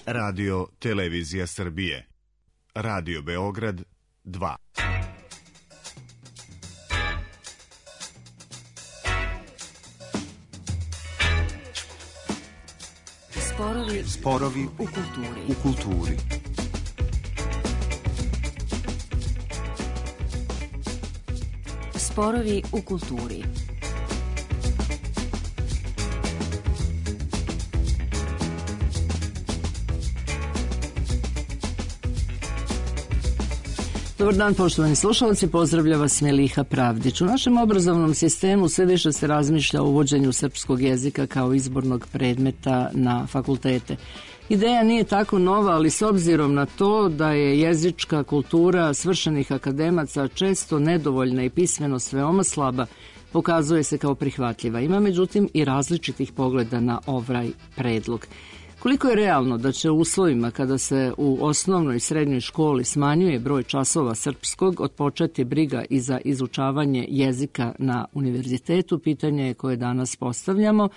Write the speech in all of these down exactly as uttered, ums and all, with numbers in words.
Radio Televizija Srbije. Radio Beograd dva. Sporovi, Sporovi u kulturi. U kulturi. Sporovi u kulturi. Dobar dan, poštovani slušalci, pozdravlja vas Meliha Pravdić. U našem obrazovnom sistemu sve više se razmišlja o uvođenju srpskog jezika kao izbornog predmeta na fakultete. Ideja nije tako nova, ali s obzirom na to da je jezička kultura svršenih akademaca često nedovoljna i pismenost veoma slaba, pokazuje se kao prihvatljiva. Ima međutim i različitih pogleda na ovaj predlog. Koliko je realno da će u uslovima kada se u osnovnoj i srednjoj školi smanjuje broj časova srpskog odpočeti briga i za izučavanje jezika na univerzitetu, pitanje je koje danas postavljamo,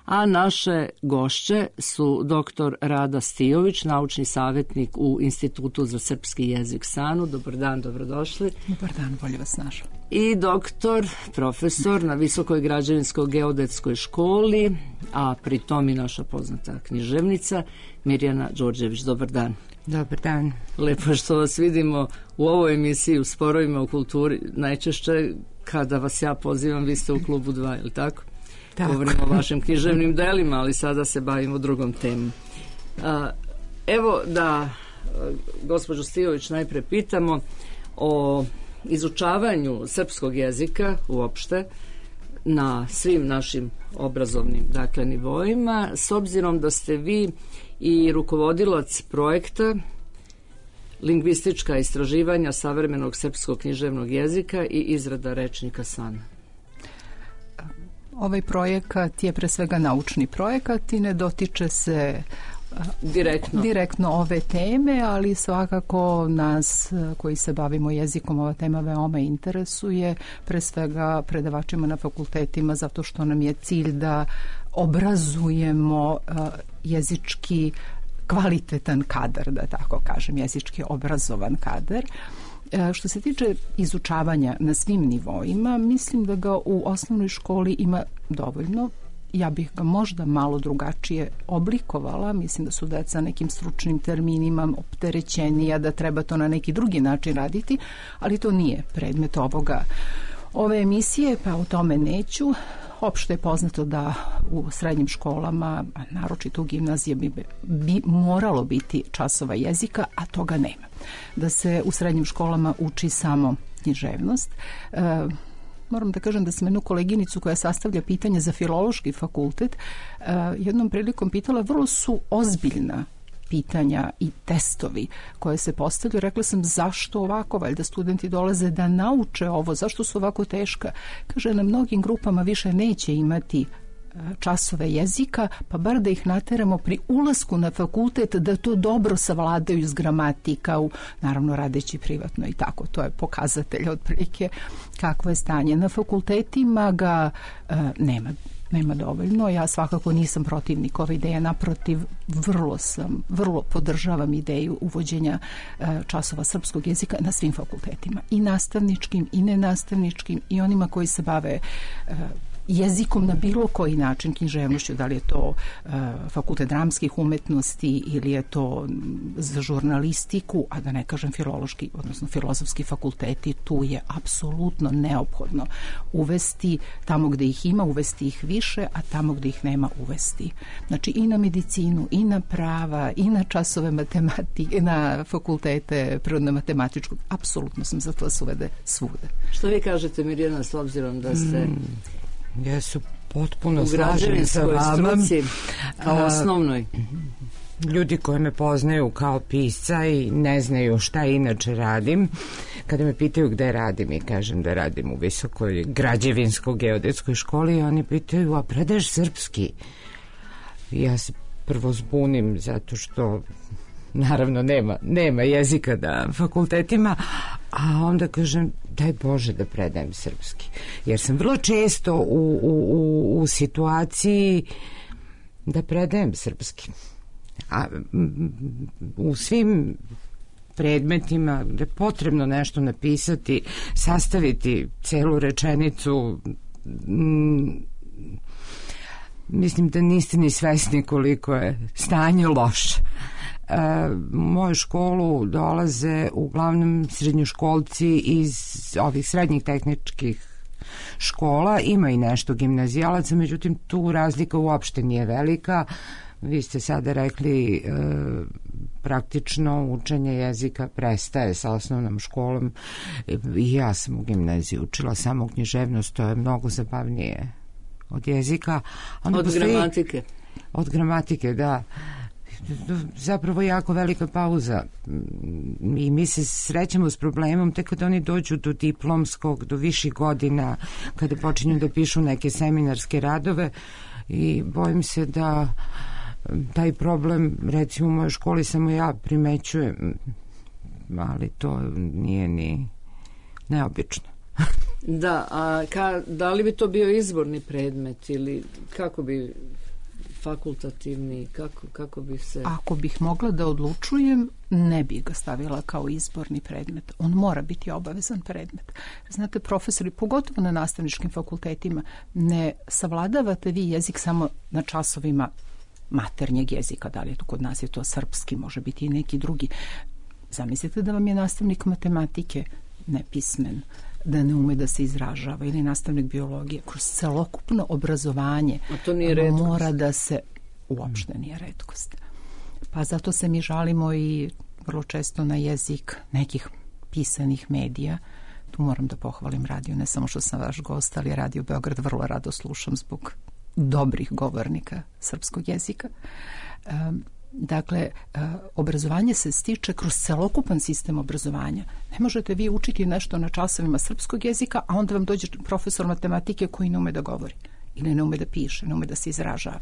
a naše gošće su doktor Rada Stijović, naučni savjetnik u Institutu za srpski jezik SANU. Dobar dan, dobrodošli. Dobar dan, bolje vas našao. I doktor, profesor na Visokoj građevinsko-geodetskoj školi, a pri tom i naša poznata književnica Mirjana Đorđević. Dobar dan. Dobar dan. Lepo što vas vidimo u ovoj emisiji u Sporovima u kulturi. Najčešće kada vas ja pozivam, vi ste u klubu dva, je li tako? Tako. Govorimo o vašim književnim delima, ali sada se bavimo drugom temom. A, evo da gospođu Stijović najpre pitamo o izučavanju srpskog jezika uopšte na svim našim obrazovnim dakle nivoima, s obzirom da ste vi i rukovodilac projekta lingvistička istraživanja savremenog srpskog književnog jezika i izrada rečnika SANU. Ovaj projekat je pre svega naučni projekat i ne dotiče se direktno. direktno ove teme, ali svakako nas koji se bavimo jezikom ova tema veoma interesuje, pre svega predavačima na fakultetima, zato što nam je cilj da obrazujemo jezički kvalitetan kadar, da tako kažem, jezički obrazovan kadar. Što se tiče izučavanja na svim nivoima, mislim da ga u osnovnoj školi ima dovoljno. Ja bih ga možda malo drugačije oblikovala. Mislim da su deca nekim stručnim terminima opterećenija, da treba to na neki drugi način raditi, ali to nije predmet ovoga ove emisije, pa o tome neću. Opšte je poznato da u srednjim školama, a naročito u gimnaziji, bi, bi moralo biti časova jezika, a toga nema. Da se u srednjim školama uči samo književnost. E, moram da kažem da sam jednu koleginicu koja sastavlja pitanje za filološki fakultet e, jednom prilikom pitala, vrlo su ozbiljna pitanja i testovi koje se postavljaju. Rekla sam, zašto ovako? Valjda studenti dolaze da nauče ovo, zašto su ovako teška? Kaže, na mnogim grupama više neće imati časove jezika, pa bar da ih nateramo pri ulasku na fakultet da to dobro savladaju s gramatika, u, naravno radeći privatno i tako. To je pokazatelj otprilike kakvo je stanje. Na fakultetima ga e, nema nema dovoljno. Ja svakako nisam protivnik ove ideje, naprotiv, vrlo sam, vrlo podržavam ideju uvođenja e, časova srpskog jezika na svim fakultetima, i nastavničkim i nenastavničkim i onima koji se bave e, jezikom na bilo koji način, književnošću, da li je to uh, fakultet dramskih umetnosti ili je to za žurnalistiku, a da ne kažem filološki, odnosno filozofski fakulteti, tu je apsolutno neophodno uvesti, tamo gde ih ima, uvesti ih više, a tamo gde ih nema, uvesti. Znači i na medicinu, i na prava, i na časove matematike, na fakultete prirodno-matematičkog, apsolutno sam za to da se uvede svuda. Što vi kažete, Mirjana, s obzirom da ste mm. Ja su potpuno slažem sa vama. Struci, kao osnovnoj. Ljudi koji me poznaju kao pisca i ne znaju šta inače radim, kada me pitaju gde radim i kažem da radim u Visokoj građevinsko-geodetskoj školi, oni pitaju, a predaješ srpski? Ja se prvo zbunim zato što naravno nema, nema jezika na fakultetima, a onda kažem, daj Bože da predajem srpski. Jer sam vrlo često u, u, u, u situaciji da predajem srpski. A u svim predmetima gde je potrebno nešto napisati, sastaviti celu rečenicu, m, mislim da niste ni svesni koliko je stanje loše. E, u moju školu dolaze uglavnom srednjoškolci iz ovih srednjih tehničkih škola, ima i nešto gimnazijalaca, međutim tu razlika uopšte nije velika. Vi ste sada rekli e, praktično učenje jezika prestaje sa osnovnom školom i ja sam u gimnaziji učila samo književnost, to je mnogo zabavnije od jezika. Onda od postoji, gramatike. Od gramatike, da. Zapravo jako velika pauza i mi se srećemo s problemom tek kada oni dođu do diplomskog, do viših godina, kada počinju da pišu neke seminarske radove i bojim se da taj problem, recimo u mojoj školi samo ja primećujem, ali to nije ni neobično. Da, a ka, da li bi to bio izborni predmet ili kako bi fakultativni, kako, kako bi se... Ako bih mogla da odlučujem, ne bih ga stavila kao izborni predmet. On mora biti obavezan predmet. Znate, profesori, pogotovo na nastavničkim fakultetima, ne savladavate vi jezik samo na časovima maternjeg jezika, da li je to kod nas je to srpski, može biti i neki drugi. Zamislite da vam je nastavnik matematike nepismen, da ne ume da se izražava, ili nastavnik biologije, kroz celokupno obrazovanje mora da se, uopšte nije retkost. Pa zato se mi žalimo i vrlo često na jezik nekih pisanih medija. Tu moram da pohvalim radio, ne samo što sam vaš gost, ali Radio Beograd vrlo rado slušam zbog dobrih govornika srpskog jezika. Um, Dakle, obrazovanje se stiče kroz celokupan sistem obrazovanja. Ne možete vi učiti nešto na časovima srpskog jezika, a onda vam dođe profesor matematike koji ne ume da govori ili ne ume da piše, ne ume da se izražava.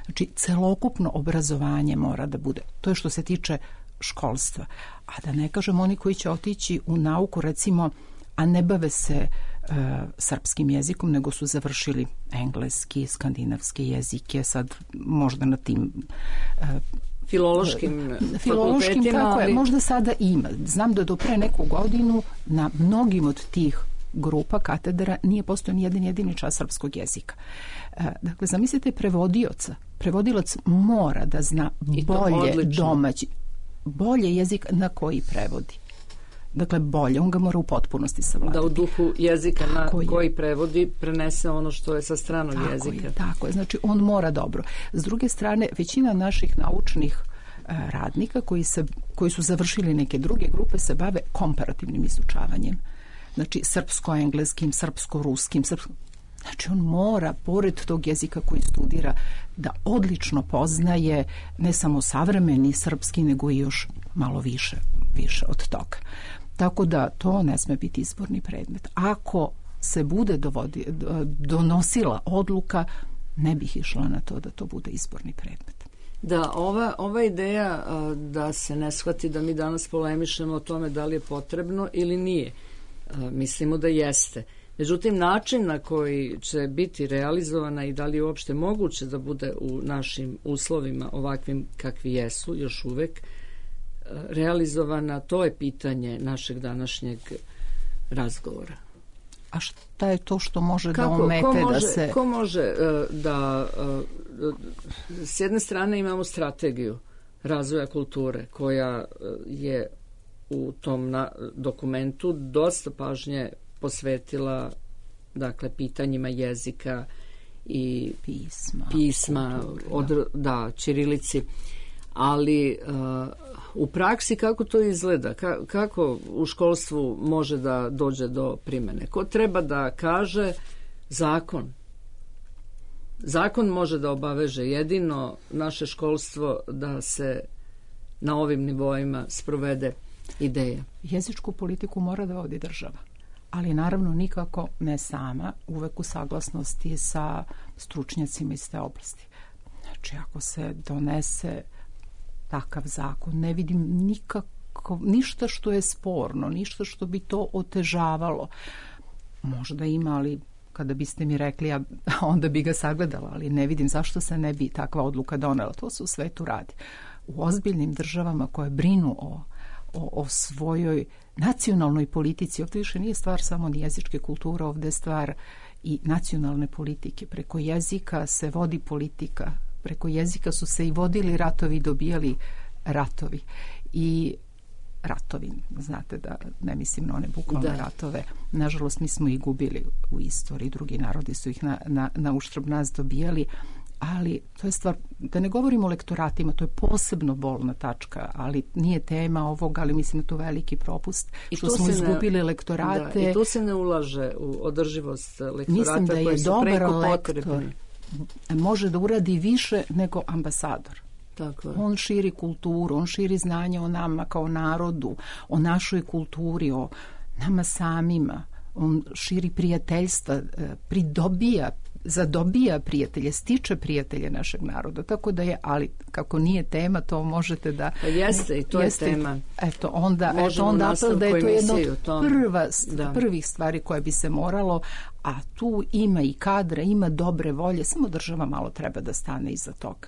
Znači, celokupno obrazovanje mora da bude. To je što se tiče školstva. A da ne kažem oni koji će otići u nauku, recimo, a ne bave se uh, srpskim jezikom, nego su završili engleski, skandinavske jezike, sad možda na tim uh, filološkim, filološkim tako je, možda sada ima. Znam da do pre neku godinu na mnogim od tih grupa katedra nije postojao ni jedan jedini čas srpskog jezika. Uh, dakle, zamislite prevodioca. Prevodilac mora da zna bolje domaći, bolje jezik na koji prevodi. Dakle, bolje, on ga mora u potpunosti savladati. Da u duhu jezika na tako koji je. Prevodi prenese ono što je sa stranog tako jezika. Je, tako je, znači on mora dobro. S druge strane, većina naših naučnih uh, radnika koji, se, koji su završili neke druge grupe se bave komparativnim izučavanjem. Znači, srpsko-engleskim, srpsko-ruskim, srpsko... Znači, on mora, pored tog jezika koji studira, da odlično poznaje ne samo savremeni srpski, nego i još malo više, više od toga. Tako da to ne sme biti izborni predmet. Ako se bude dovodi, donosila odluka, ne bih išla na to da to bude izborni predmet. Da, ova, ova ideja da se ne shvati da mi danas polemišemo o tome da li je potrebno ili nije, mislimo da jeste. Međutim, način na koji će biti realizovana i da li je uopšte moguće da bude u našim uslovima ovakvim kakvi jesu još uvek realizovana, to je pitanje našeg današnjeg razgovora. A šta je to što može Kako, da omete ko može, da se... Ko može uh, da... Uh, s jedne strane imamo strategiju razvoja kulture koja uh, je u tom na, dokumentu dosta pažnje posvetila dakle pitanjima jezika i pisma, pisma kulturi, od, da, ćirilici, ali uh, u praksi kako to izgleda, Ka, kako u školstvu može da dođe do primene, ko treba da kaže zakon zakon može da obaveže jedino naše školstvo da se na ovim nivoima sprovede ideja. Jezičku politiku mora da vodi država, ali naravno nikako ne sama, uvek u saglasnosti sa stručnjacima iz te oblasti. Znači, ako se donese takav zakon, ne vidim nikako, ništa što je sporno, ništa što bi to otežavalo. Možda ima, ali kada biste mi rekli, ja onda bi ga sagledala, ali ne vidim zašto se ne bi takva odluka donela. To se u svetu radi. u ozbiljnim državama koje brinu o, o, o svojoj nacionalnoj politici. Ovdje više nije stvar samo ni jezičke kulture, ovdje je stvar i nacionalne politike. Preko jezika se vodi politika, preko jezika su se i vodili ratovi i dobijali ratovi. I ratovi, znate da ne mislim na one bukvalne ratove. Nažalost, mi smo ih gubili u istoriji, drugi narodi su ih na, na, na uštrb nas dobijali, ali to je stvar, da ne govorimo o lektoratima, to je posebno bolna tačka, ali nije tema ovog, ali mislim da to veliki propust, I što smo izgubili ne, lektorate. Da, I tu se ne ulaže u održivost lektorata. Mislim da je dobar lektor potrebni. Može da uradi više nego ambasador. Tako je. On širi kulturu, on širi znanje o nama kao narodu, o našoj kulturi, o nama samima. On širi prijateljstva, pridobija, zadobija prijatelje, stiče prijatelje našeg naroda. Tako da je, ali kako nije tema, to možete da... Pa jeste, i to jeste, je tema. Eto, onda, eto, onda apel da je to jedna od prva, prvih stvari koje bi se moralo, a tu ima i kadra, ima dobre volje, samo država malo treba da stane iza toga.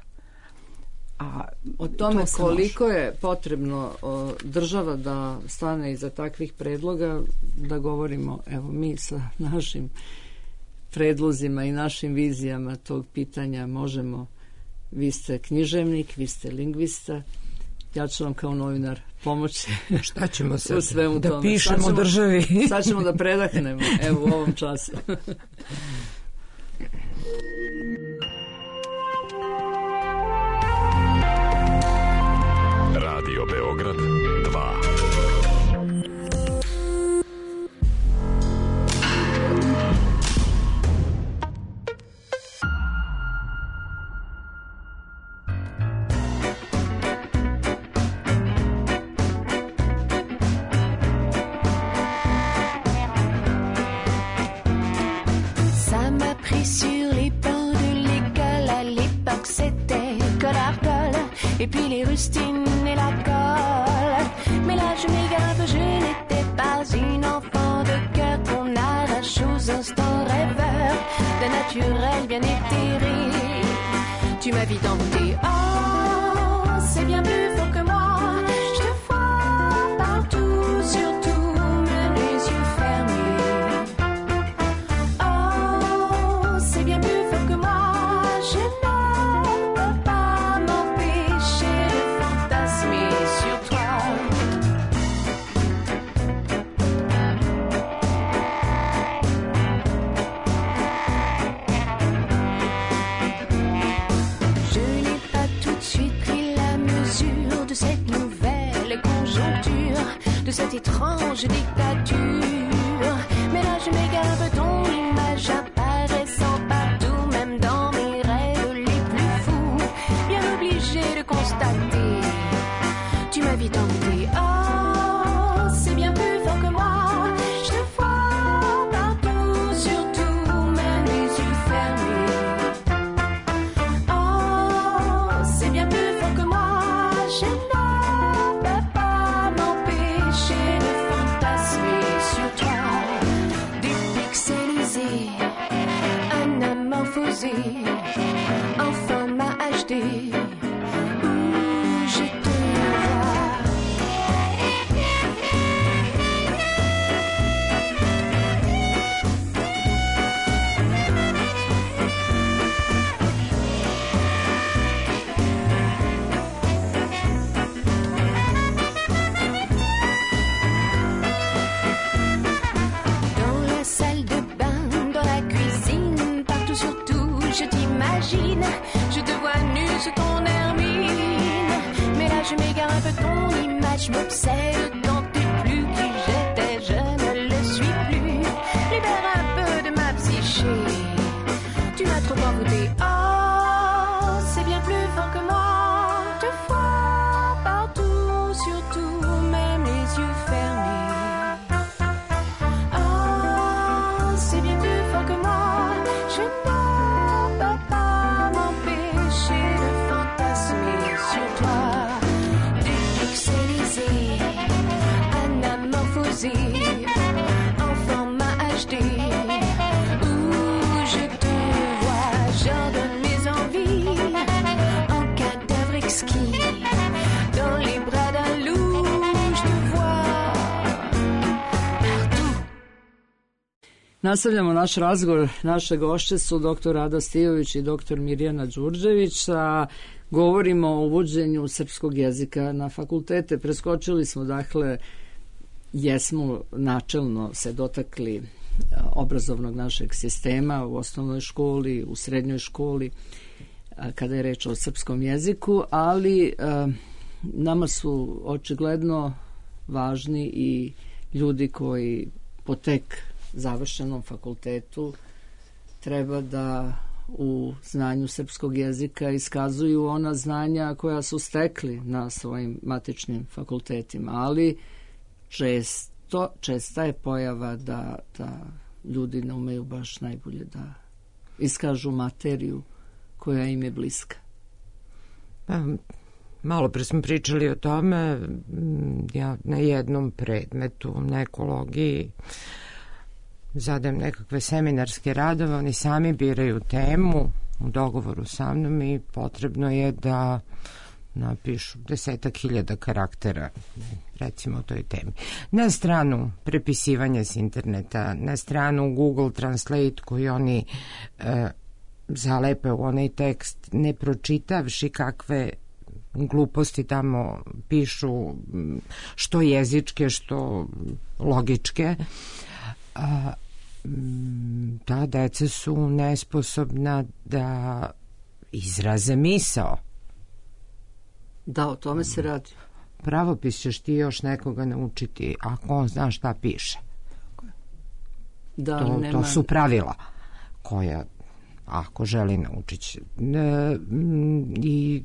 A o tome to koliko može. Je potrebno o, država da stane iza takvih predloga, da govorimo, evo, mi sa našim predlozima i našim vizijama tog pitanja možemo. Vi ste književnik, vi ste lingvista, ja ću vam kao novinar pomoći. Šta ćemo sad? U svemu da tome. Pišemo sad ćemo, državi. Sad ćemo da predahnemo, evo, u ovom času. Radio Beograd dva. Ça m'a pris sur les bancs de l'école, à l'époque c'était Collardol, et puis les rustines et la colle. Mais là je m'égare, je n'étais pas une enfant de cœur qu'on arrache aux instants rêveurs d'un naturel bien éthéré. Tu m'as vite envoûté, oh c'est bien plus fort que moi. Je te vois partout, surtout même les yeux fermés. Oh c'est bien plus fort que moi. Je ne peux pas m'empêcher de fantasmer sur toi. Je n'ai pas tout de suite pris la mesure de cette nouvelle conjoncture, de cette étrange dictature. Mais là je m'égare, ton image apparaissant partout, même dans mes rêves les plus fous, bien obligé de constater. Tu m'as vite envoûté, oh c'est bien plus fort que moi. Je te vois partout, surtout même les yeux fermés. Oh c'est bien plus fort que moi. Je ne peux pas m'empêcher de fantasmer sur toi. Dépixelisé, anamorphosé, en format H D, où je te vois. Dans la salle de bain, dans la cuisine, partout surtout, je t'imagine. Je te vois nu sous ton hermine. Mais là je m'égare un peu, ton image m'obsède. Tant t'es plus qui j'étais, je ne le suis plus. Libère un peu de ma psyché. Tu m'as trop envoûté, oh c'est bien plus fort que moi. Te vois partout, surtout même les yeux fermés. Oh c'est bien plus fort que moi. Je ne peux pas m'empêcher de fantasmer sur toi. Dépixelisé, Nastavljamo naš razgovor. Naše gošće su doktor Rada Stijović i doktor Mirjana Đurđević, a govorimo o uvođenju srpskog jezika na fakultete. Preskočili smo, dakle, jesmo načelno se dotakli obrazovnog našeg sistema u osnovnoj školi, u srednjoj školi, kada je reč o srpskom jeziku, ali nama su očigledno važni i ljudi koji po tek završenom fakultetu treba da u znanju srpskog jezika iskazuju ona znanja koja su stekli na svojim matičnim fakultetima, ali često, česta je pojava da, da ljudi ne umeju baš najbolje da iskažu materiju koja im je bliska. Pa, malo pre smo pričali o tome, ja na jednom predmetu, na ekologiji, zadajem nekakve seminarske radove, oni sami biraju temu u dogovoru sa mnom i potrebno je da napišu desetak hiljada karaktera, recimo o toj temi. Na stranu prepisivanja s interneta, na stranu Google Translate koji oni e, zalepe u onaj tekst, ne pročitavši kakve gluposti tamo pišu, što jezičke, što logičke. A, ta deca su nesposobna da izraze misao. Da, o tome se radi. Pravopis ćeš ti još nekoga naučiti ako on zna šta piše. Da, to, nema... to su pravila koja ako želi naučit će. E, i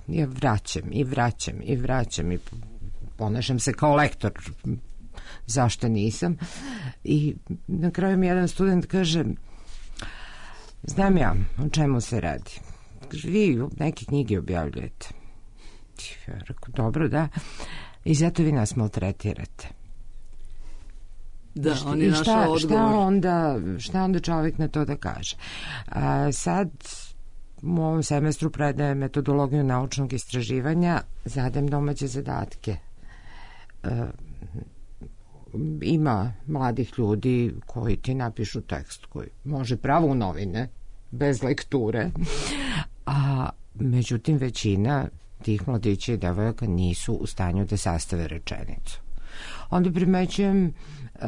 ja vraćam i vraćam i vraćam i ponašam se kao lektor, zašto nisam, i na kraju mi jedan student kaže, znam ja o čemu se radi, vi neke knjige objavljujete. Ja rekao, dobro, da, i zato vi nas maltretirate. Da, šta, on je našao odgovor. Šta onda, šta onda čovjek na to da kaže? A, sad u ovom semestru predajem metodologiju naučnog istraživanja, zadajem domaće zadatke. A, ima mladih ljudi koji ti napišu tekst koji može pravo u novine, bez lekture, a međutim većina tih mladića i devojaka nisu u stanju da sastave rečenicu. Onda primećujem uh,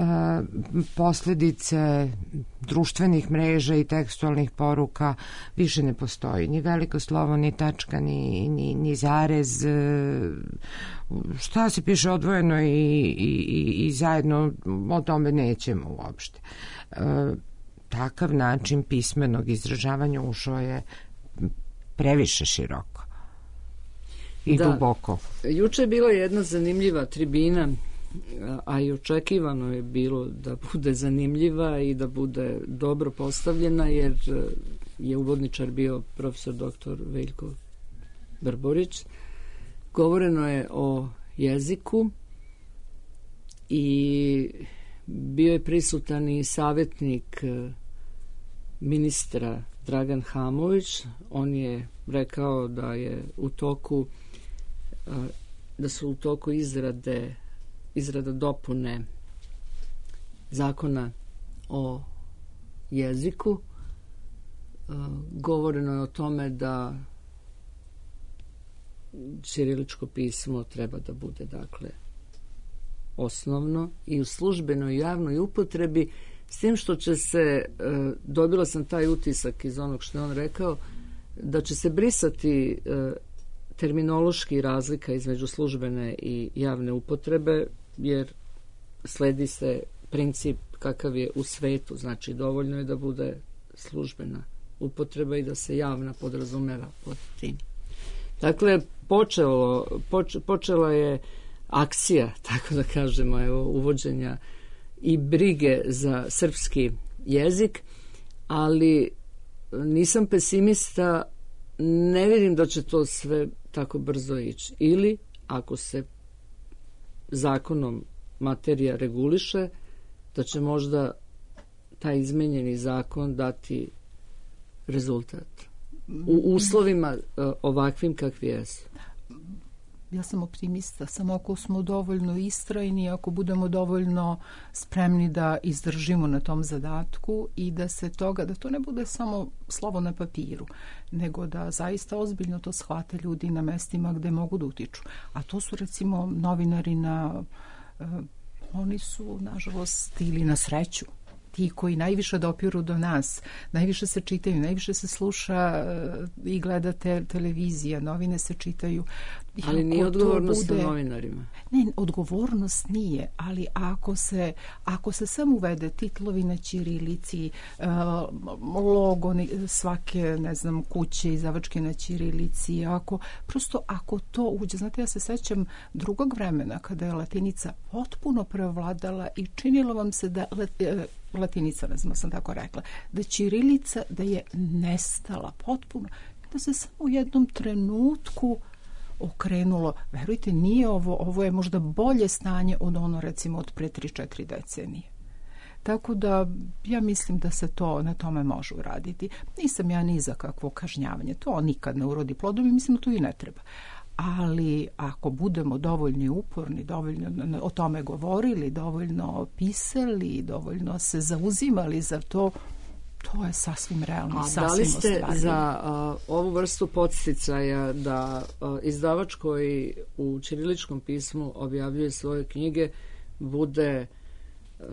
posledice društvenih mreža i tekstualnih poruka, više ne postoji ni veliko slovo, ni tačka, ni, ni, ni zarez, šta se piše odvojeno i, i, i zajedno, o tome nećemo uopšte. Uh, takav način pismenog izražavanja ušao je previše široko i da, duboko. Juče je bila jedna zanimljiva tribina, a i očekivano je bilo da bude zanimljiva i da bude dobro postavljena, jer je uvodničar bio profesor doktor Veljko Brborić. Govoreno je o jeziku i bio je prisutan i savjetnik ministra Dragan Hamović. On je rekao da je u toku da su u toku izrade izrada dopune zakona o jeziku. Govoreno je o tome da ćiriličko pismo treba da bude, dakle, osnovno i u službenoj javnoj upotrebi, s tim što će se, dobila sam taj utisak iz onog što je on rekao, da će se brisati terminološki razlika između službene i javne upotrebe, jer sledi se princip kakav je u svetu, znači dovoljno je da bude službena upotreba i da se javna podrazumeva pod tim. Dakle, počelo, poč, počela je akcija, tako da kažemo, evo, uvođenja i brige za srpski jezik, ali nisam pesimista, ne vidim da će to sve tako brzo ići. Ili, ako se zakonom materija reguliše, da će možda taj izmenjeni zakon dati rezultat u uslovima ovakvim kakvi jesu. ja sam optimista, samo ako smo dovoljno istrajni, ako budemo dovoljno spremni da izdržimo na tom zadatku i da se toga, da to ne bude samo slovo na papiru, nego da zaista ozbiljno to shvate ljudi na mestima gde mogu da utiču. A to su recimo novinari na, uh, oni su nažalost ili na sreću, ti koji najviše dopiru do nas, najviše se čitaju, najviše se sluša i gleda te, televizija, novine se čitaju. Ali nije odgovornost bude... novinarima. Ne, odgovornost nije, ali ako se, ako se samo uvede titlovi na ćirilici, uh, logo svake, ne znam, kuće izdavačke na ćirilici, ako, prosto ako to uđe, znate, ja se sećam drugog vremena kada je latinica potpuno prevladala i činilo vam se da latinica, ne znam, sam tako rekla, da ćirilica, da je nestala potpuno, da se samo u jednom trenutku okrenulo. Verujte, nije ovo, ovo je možda bolje stanje od ono, recimo, od pre tri četiri decenije. Tako da ja mislim da se to na tome može uraditi. Nisam ja ni za kakvo kažnjavanje. To nikad ne urodi plodom i mislim da to i ne treba. Ali ako budemo dovoljno uporni, dovoljno o tome govorili, dovoljno pisali, dovoljno se zauzimali za to, to je sasvim realno. A da li ste ostvarili za a, ovu vrstu podsticaja da a, izdavač koji u ćiriličkom pismu objavljuje svoje knjige bude a,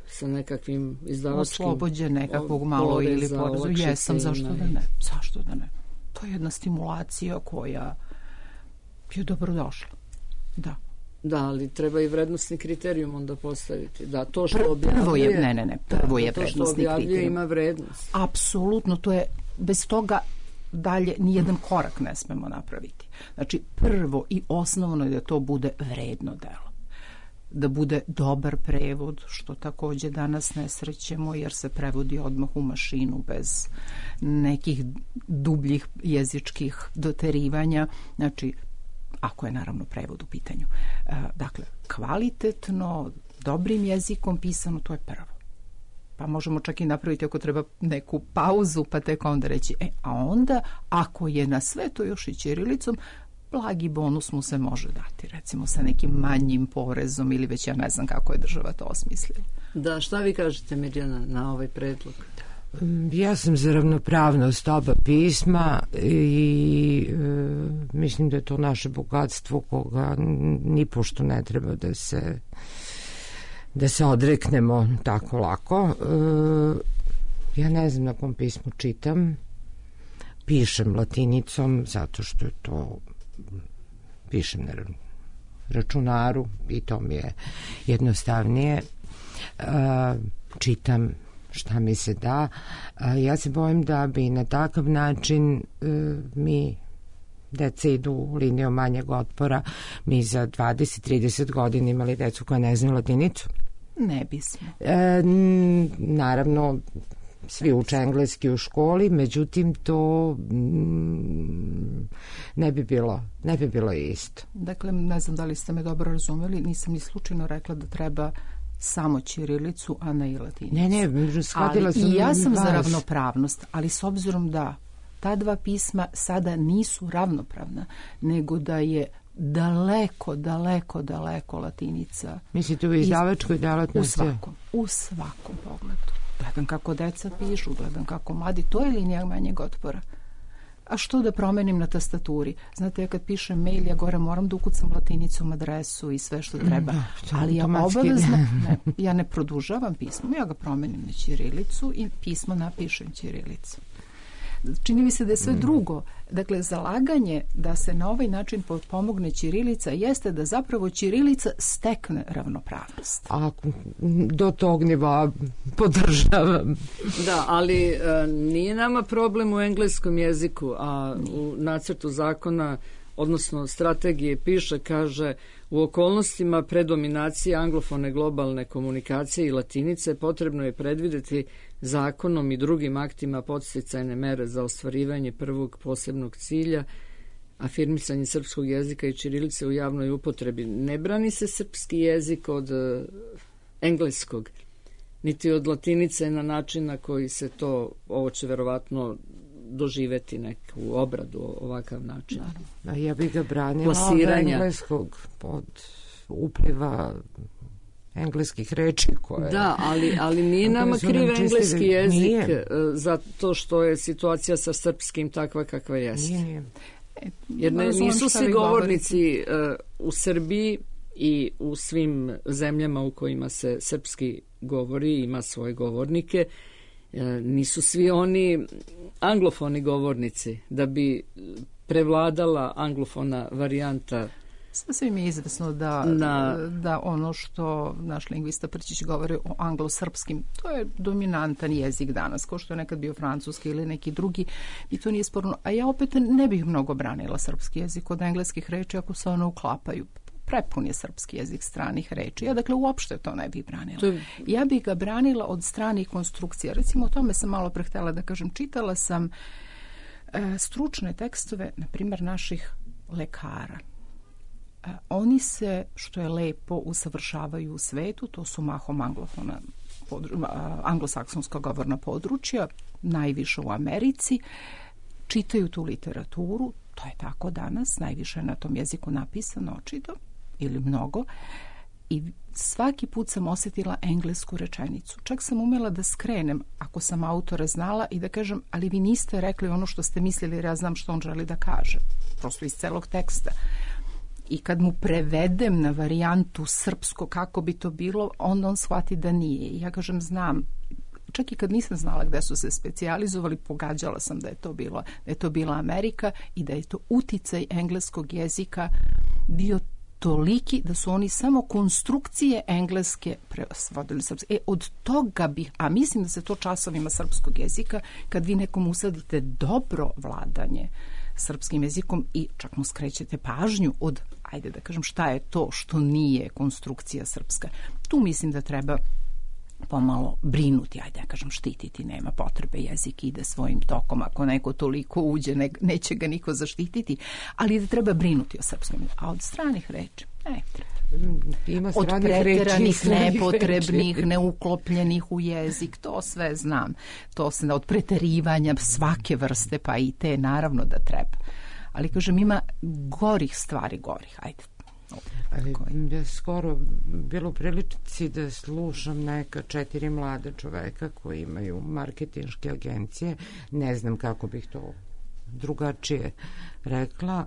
sa nekakvim izdavačkim oslobođen nekakvog malo ili porezu? Jesam, zašto da ne? Zašto da ne? To je jedna stimulacija koja je dobrodošla. Da. Da, ali treba i vrednostni kriterijum onda postaviti. Da, to što objavljuje... Prvo je, ne, ne, ne, prvo je da, vrednostni kriterijum. Ima vrednost. Apsolutno, to je, bez toga dalje nijedan korak ne smemo napraviti. Znači, prvo i osnovno je da to bude vredno delo. Da bude dobar prevod, što takođe danas ne srećemo, jer se prevodi odmah u mašinu bez nekih dubljih jezičkih doterivanja. Znači, ako je naravno prevod u pitanju. Dakle, kvalitetno, dobrim jezikom pisano, to je prvo. Pa možemo čak i napraviti ako treba neku pauzu, pa tek onda reći, e, a onda, ako je na sve to još i ćirilicom, blagi bonus mu se može dati, recimo sa nekim manjim porezom ili već ja ne znam kako je država to osmislila. Da, šta vi kažete, Mirjana, na ovaj predlog? Ja sam za ravnopravnost oba pisma i e, mislim da je to naše bogatstvo koga ni pošto ne treba da se da se odreknemo tako lako. E, ja ne znam na kom pismu čitam. Pišem latinicom zato što je to pišem na računaru i to mi je jednostavnije. E, čitam šta mi se da. Ja se bojim da bi na takav način e, mi deca idu linijom manjeg otpora, mi za dvadeset trideset godina imali decu koja ne znaju latinicu. Ne bismo. E, naravno, svi uče engleski u školi, međutim to mm, ne bi bilo ne bi bilo isto. Dakle, ne znam da li ste me dobro razumeli, nisam ni slučajno rekla da treba samo ćirilicu, a ne i latinicu. Ne, ne, shvatila sam. I ja sam za ravnopravnost, ali s obzirom da ta dva pisma sada nisu ravnopravna, nego da je daleko, daleko, daleko latinica. Mislite u izdavačkoj delatnosti? U svakom, u svakom pogledu. Gledam kako deca pišu, gledam kako mladi, to je linija manjeg otpora. A što da promenim na tastaturi? Znate, ja kad pišem mail, ja gore moram da ukucam latinicom adresu i sve što treba. Da, ali ja obavezno, ne, ja ne produžavam pismo, ja ga promenim na ćirilicu i pismo napišem ćirilicu. Čini mi se da je sve drugo. Dakle, zalaganje da se na ovaj način pomogne ćirilica jeste da zapravo ćirilica stekne ravnopravnost. A do tog nivoa podržavam. Da, ali e, nije nama problem u engleskom jeziku, a u nacrtu zakona, odnosno strategije piše, kaže, u okolnostima predominacije anglofone globalne komunikacije i latinice potrebno je predvideti zakonom i drugim aktima podsticajne mere za ostvarivanje prvog posebnog cilja, afirmisanje srpskog jezika i ćirilice u javnoj upotrebi. Ne brani se srpski jezik od uh, engleskog, niti od latinice na način na koji se to, ovo će verovatno doživeti neku obradu ovakav način. Da, ja bih ga branila od engleskog, od upliva engleskih reči koje... Da, ali, ali nije nama kriv engleski jezik nije. Zato što je situacija sa srpskim takva kakva jeste. Nije. Jer ne, nisu svi govornici uh, u Srbiji i u svim zemljama u kojima se srpski govori, ima svoje govornike, uh, nisu svi oni anglofoni govornici. Da bi prevladala anglofona varijanta. Sasvim je izvesno da, Na... da ono što naš lingvista Prćić govori o anglosrpskim, to je dominantan jezik danas, kao što je nekad bio francuski ili neki drugi, i to nije sporno. A ja opet ne bih mnogo branila srpski jezik od engleskih reči ako se one uklapaju. Prepun je srpski jezik stranih reči. Ja dakle uopšte to ne bih branila. To... Ja bih ga branila od stranih konstrukcija. Recimo o tome sam malo prehtela da kažem. Čitala sam e, stručne tekstove, na primjer, naših lekara. Oni se, što je lepo, usavršavaju u svetu, to su mahom anglofona, anglosaksonska govorna područja, najviše u Americi, čitaju tu literaturu, to je tako danas, najviše je na tom jeziku napisano očito, ili mnogo, i svaki put sam osjetila englesku rečenicu. Čak sam umela da skrenem, ako sam autora znala, i da kažem, ali vi niste rekli ono što ste mislili, jer ja znam što on želi da kaže. Prosto iz celog teksta. I kad mu prevedem na varijantu srpsko kako bi to bilo, onda on shvati da nije. I ja kažem, znam, čak i kad nisam znala gde su se specijalizovali, pogađala sam da je to bilo, da je to bila Amerika i da je to uticaj engleskog jezika bio toliki da su oni samo konstrukcije engleske prevodili srpske. E, od toga bih, a mislim da se to časovima srpskog jezika, kad vi nekom usadite dobro vladanje srpskim jezikom i čak mu skrećete pažnju od, ajde da kažem, šta je to što nije konstrukcija srpska. Tu mislim da treba pomalo brinuti, ajde da kažem, štititi, nema potrebe, jezik ide svojim tokom, ako neko toliko uđe, ne, neće ga niko zaštititi, ali da treba brinuti o srpskom, a od stranih reči ne treba. Ima od preteranih, nepotrebnih, reči. Neuklopljenih u jezik, to sve znam. To se od preterivanja svake vrste, pa i te naravno da treba. Ali kažem, ima gorih stvari, gorih, ajde. Ali ja skoro bilo u prilici da slušam neka četiri mlade čoveka koji imaju marketinške agencije, ne znam kako bih to drugačije rekla.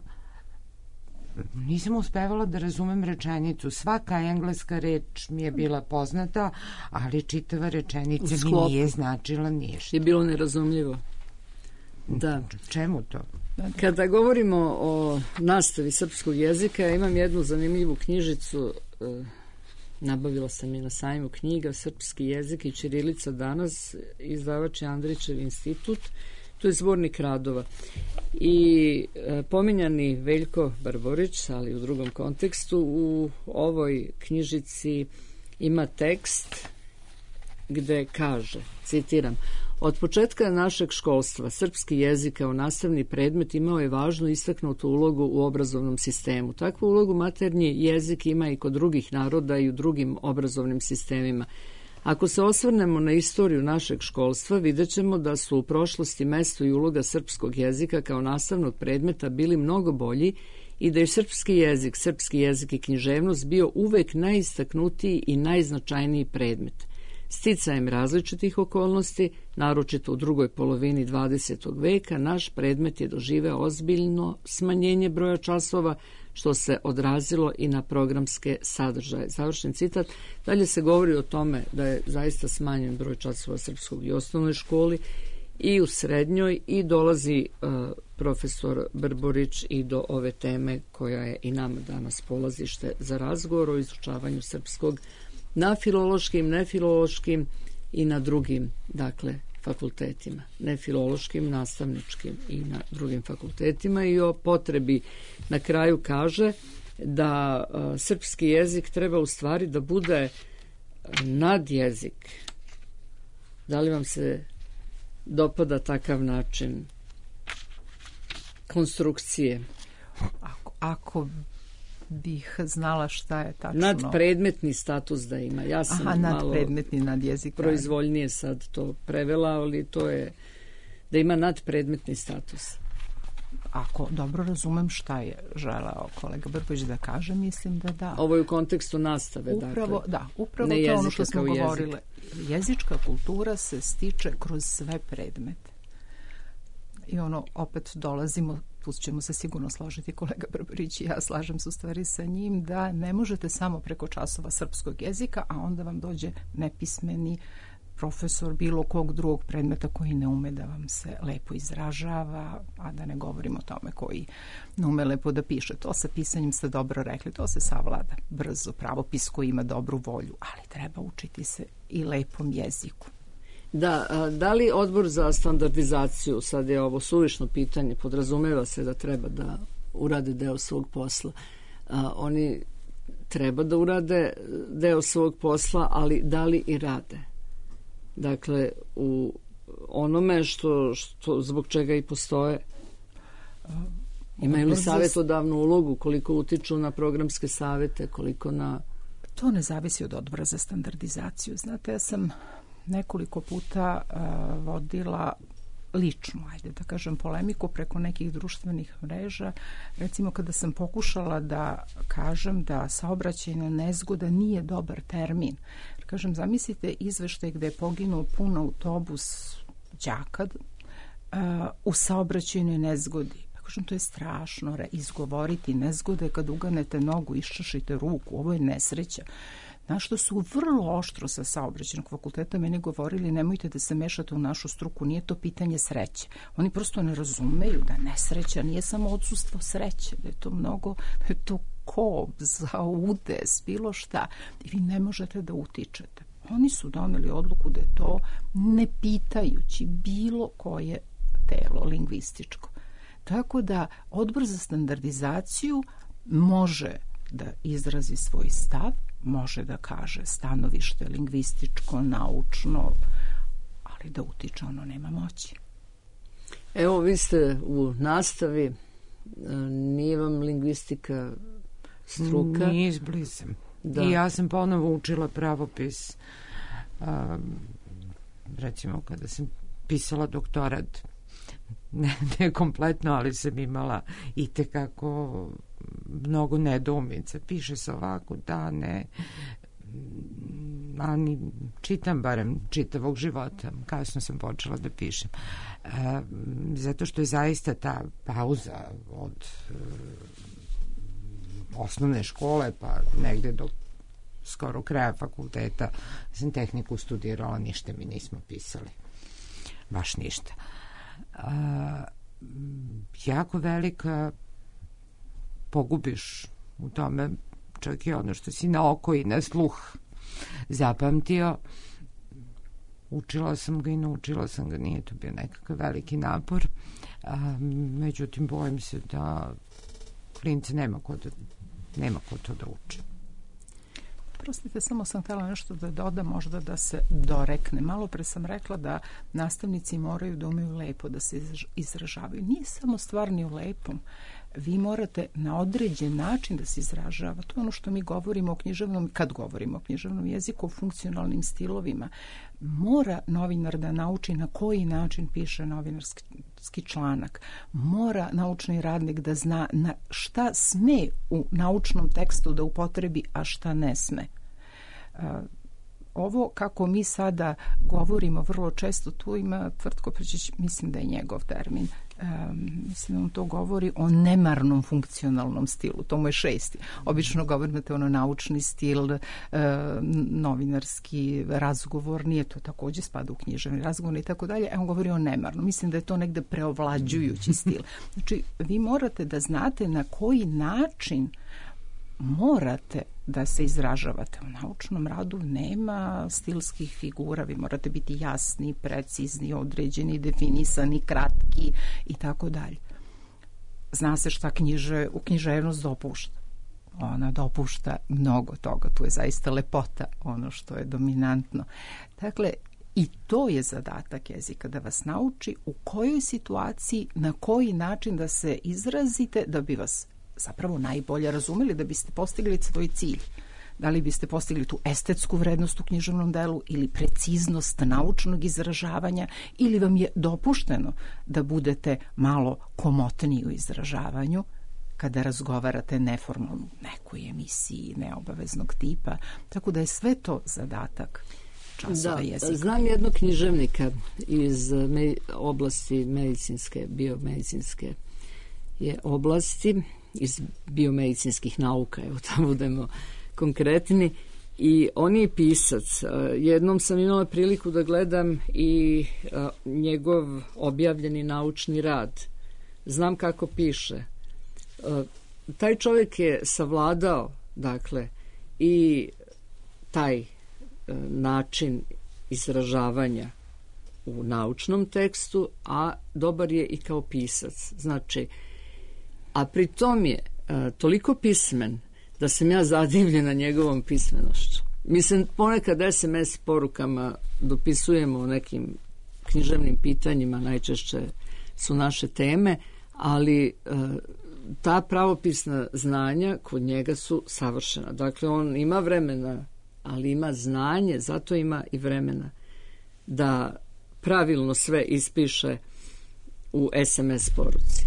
Nisam uspevala da razumem rečenicu. Svaka engleska reč mi je bila poznata, ali čitava rečenica mi nije značila ništa. Je bilo nerazumljivo. Da. Čemu to? Kada govorimo o nastavi srpskog jezika, ja imam jednu zanimljivu knjižicu, nabavila sam je na sajmu knjiga Srpski jezik i ćirilica danas, izdavač je Andrićev institut, to je zbornik radova. I e, pominjani Veljko Barborić, ali u drugom kontekstu, u ovoj knjižici ima tekst gde kaže, citiram, od početka našeg školstva srpski jezik kao nastavni predmet imao je važnu istaknutu ulogu u obrazovnom sistemu. Takvu ulogu maternji jezik ima i kod drugih naroda i u drugim obrazovnim sistemima. Ako se osvrnemo na istoriju našeg školstva, vidjet ćemo da su u prošlosti mesto i uloga srpskog jezika kao nastavnog predmeta bili mnogo bolji i da je srpski jezik, srpski jezik i književnost bio uvek najistaknutiji i najznačajniji predmet. Sticajem različitih okolnosti, naročito u drugoj polovini dvadesetog veka, naš predmet je doživeo ozbiljno smanjenje broja časova, što se odrazilo i na programske sadržaje. Završen citat. Dalje se govori o tome da je zaista smanjen broj časova srpskog i osnovnoj školi i u srednjoj, i dolazi uh, profesor Brborić i do ove teme koja je i nama danas polazište za razgovor o izučavanju srpskog na filološkim, nefilološkim i na drugim, dakle, fakultetima, nefilološkim, nastavničkim i na drugim fakultetima, i o potrebi na kraju kaže da a, srpski jezik treba u stvari da bude nadjezik. Da li vam se dopada takav način konstrukcije? Ako, ako bih znala šta je tačno. Nadpredmetni status da ima. Ja sam Aha, malo nadpredmetni nad jezik. Proizvoljnije sad to prevela, ali to je da ima nadpredmetni status? Ako dobro razumem šta je želeo kolega Brković da kaže, mislim da da. Ovo je u kontekstu nastave, upravo, dakle. Da, upravo to ono što smo govorile. Jezička kultura se stiče kroz sve predmete. I ono, opet dolazimo, tu ćemo se sigurno složiti, kolega Brbarić i ja, slažem se u stvari sa njim, da ne možete samo preko časova srpskog jezika, a onda vam dođe nepismeni profesor bilo kog drugog predmeta koji ne ume da vam se lepo izražava, a da ne govorimo o tome koji ne ume lepo da piše. To sa pisanjem ste dobro rekli, to se savlada brzo, pravopis koji ima dobru volju, ali treba učiti se i lepom jeziku. Da, a, da li Odbor za standardizaciju, sad je ovo suvišno pitanje, podrazumeva se da treba da urade deo svog posla. A, oni treba da urade deo svog posla, ali da li i rade? Dakle, u onome što, što zbog čega i postoje. Imaju li savjetodavnu ulogu, koliko utiču na programske savete, koliko na... To ne zavisi od Odbora za standardizaciju. Znate, ja sam nekoliko puta uh, vodila ličnu, ajde da kažem, polemiku preko nekih društvenih mreža. Recimo, kada sam pokušala da kažem da saobraćajna nezgoda nije dobar termin. Kažem, zamislite izveštaj gde je poginuo pun autobus đaka uh, u saobraćajnoj nezgodi. Pa kažem, to je strašno re, izgovoriti nezgode kad uganete nogu, iščašite ruku, ovo je nesreća. Na što su vrlo oštro sa saobraćajnog fakulteta meni govorili, nemojte da se mešate u našu struku, nije to pitanje sreće. Oni prosto ne razumeju da nesreća nije samo odsustvo sreće, da je to mnogo, da je to kob, za udes, bilo šta. I vi ne možete da utičete. Oni su doneli odluku da je to ne pitajući bilo koje telo lingvističko. Tako da Odbor za standardizaciju može da izrazi svoj stav, može da kaže stanovište lingvističko, naučno, ali da utiče ono nema moći. Evo, vi ste u nastavi, nije vam lingvistika struka? Nije izbliza. Da. I ja sam ponovo učila pravopis. Um, recimo, kada sam pisala doktorat, ne, ne kompletno, ali sam imala i tekako mnogo nedoumica. Piše se ovako, da, ne, ani čitam barem čitavog života. Kasno sam počela da pišem. E, zato što je zaista ta pauza od e, osnovne škole pa negde do skoro kraja fakulteta sam tehniku studirala, ništa mi nismo pisali. Baš ništa. A, jako velika, pogubiš u tome čak i ono što si na oko i na sluh zapamtio. Učila sam ga i naučila sam ga, nije to bio nekakav veliki napor. A, međutim, bojim se da klinci nema ko da, nema ko to da uči. Prostite, samo sam htjela nešto da dodam, možda da se dorekne. Malo pre sam rekla da nastavnici moraju da umeju lepo da se izražavaju. Nije samo stvar ni u lepom. Vi morate na određen način da se izražava. To je ono što mi govorimo o književnom, kad govorimo o književnom jeziku, o funkcionalnim stilovima. Mora novinar da nauči na koji način piše novinarski članak. Mora naučni radnik da zna na šta sme u naučnom tekstu da upotrebi, a šta ne sme. Ovo kako mi sada govorimo vrlo često, tu ima Tvrtko Prčić, mislim da je njegov termin, um, mislim da on to govori o nemarnom funkcionalnom stilu, to mu je šesti. Obično govorite ono naučni stil, uh, novinarski razgovor, nije to takođe spada u književni razgovor i tako dalje, a on govori o nemarnom. Mislim da je to negde preovlađujući stil. Znači, vi morate da znate na koji način morate da se izražavate. U naučnom radu nema stilskih figura, vi morate biti jasni, precizni, određeni, definisani, kratki i tako dalje. Zna se šta knjiže, u književnost dopušta. Ona dopušta mnogo toga, tu je zaista lepota, ono što je dominantno. Dakle, i to je zadatak jezika, da vas nauči u kojoj situaciji, na koji način da se izrazite, da bi vas zapravo najbolje razumeli, da biste postigli svoj cilj. Da li biste postigli tu estetsku vrednost u književnom delu ili preciznost naučnog izražavanja, ili vam je dopušteno da budete malo komotniji u izražavanju kada razgovarate neformalno u nekoj emisiji neobaveznog tipa. Tako da je sve to zadatak časova da, jezika. Znam jednog književnika iz me, oblasti medicinske, biomedicinske je oblasti, iz biomedicinskih nauka, evo da budemo konkretni, i on je pisac. Jednom sam imala priliku da gledam i njegov objavljeni naučni rad. Znam kako piše. Taj čovjek je savladao, dakle, i taj način izražavanja u naučnom tekstu, a dobar je i kao pisac. Znači, a pri tom je a, toliko pismen da sam ja zadivljena njegovom pismenošću. Mislim, ponekad es em es porukama dopisujemo o nekim književnim pitanjima, najčešće su naše teme, ali a, ta pravopisna znanja kod njega su savršena. Dakle, on ima vremena, ali ima znanje, zato ima i vremena da pravilno sve ispiše u es em es poruci.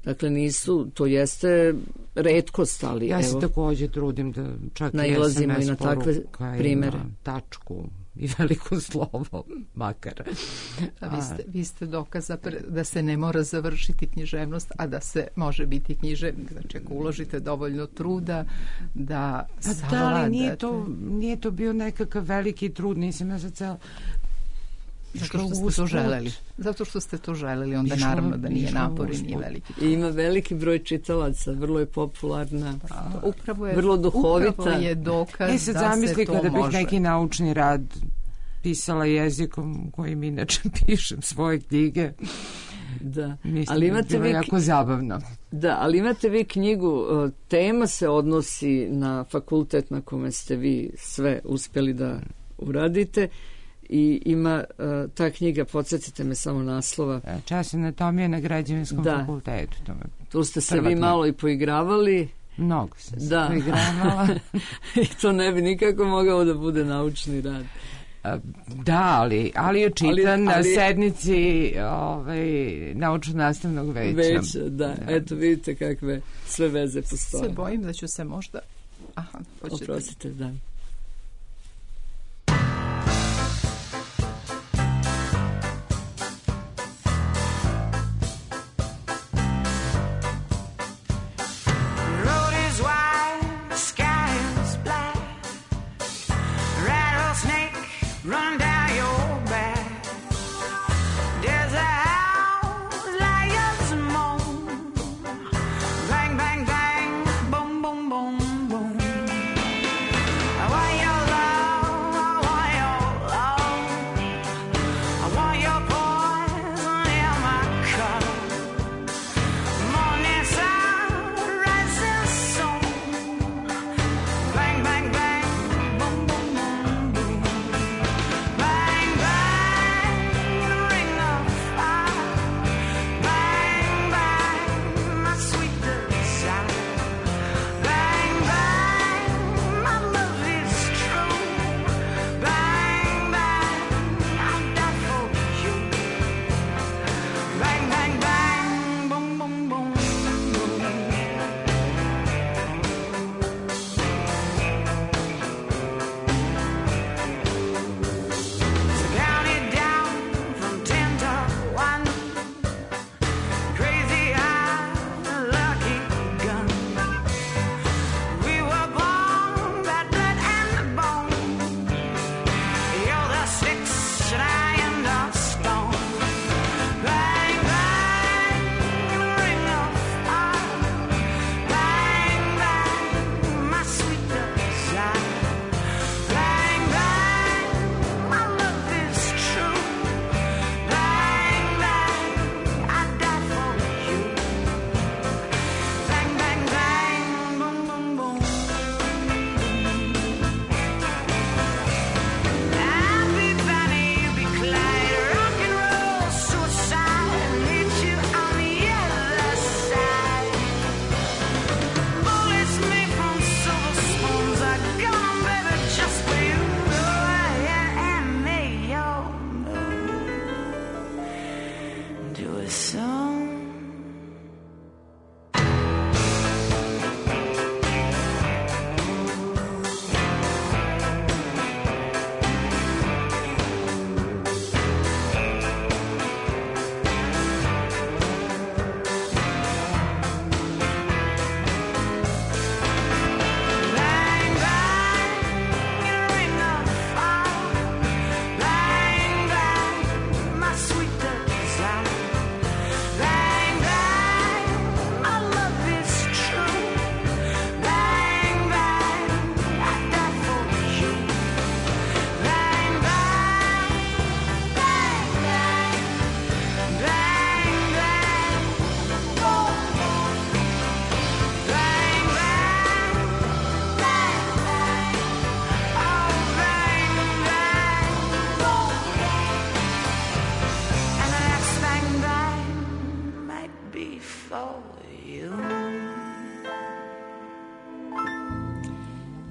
Dakle, nisu, to jeste retkost, ali ja evo... Ja se također trudim da čak nailazimo i na takve primere. Tačku i veliko slovo, makar. A vi ste, vi ste dokaz da se ne mora završiti književnost, a da se može biti književnik. Znači, ako uložite dovoljno truda da savladate... Da, ali nije to, nije to bio nekakav veliki trud, nisam ja za celo... Zato što ste to želeli. Zato što ste to želeli, onda išlo, naravno da nije napor i nije veliki. I ima veliki broj čitalaca, vrlo je popularna, pa, upravo je, vrlo duhovita. Upravo je dokaz e sad da zamisli se to kada može. Bih neki naučni rad pisala jezikom kojim inače pišem svoje knjige. Da, mislim, ali imate vi jako zabavno. Da, ali imate vi knjigu, tema se odnosi na fakultet na kome ste vi sve uspjeli da uradite. I ima uh, ta knjiga, podsjetite me samo naslova. Čas anatomije na građevinskom da. fakultetu. To tu ste se vi malo i poigravali. Mnogo sam se da. poigravala. I to ne bi nikako mogao da bude naučni rad. Da, ali, ali je čitan ali, ali, na sednici ovaj, naučno-nastavnog veća. Veća, da. da. Eto, vidite kakve sve veze postoje. Se bojim da ću se možda... Aha, hoćete. Oprostite, da. I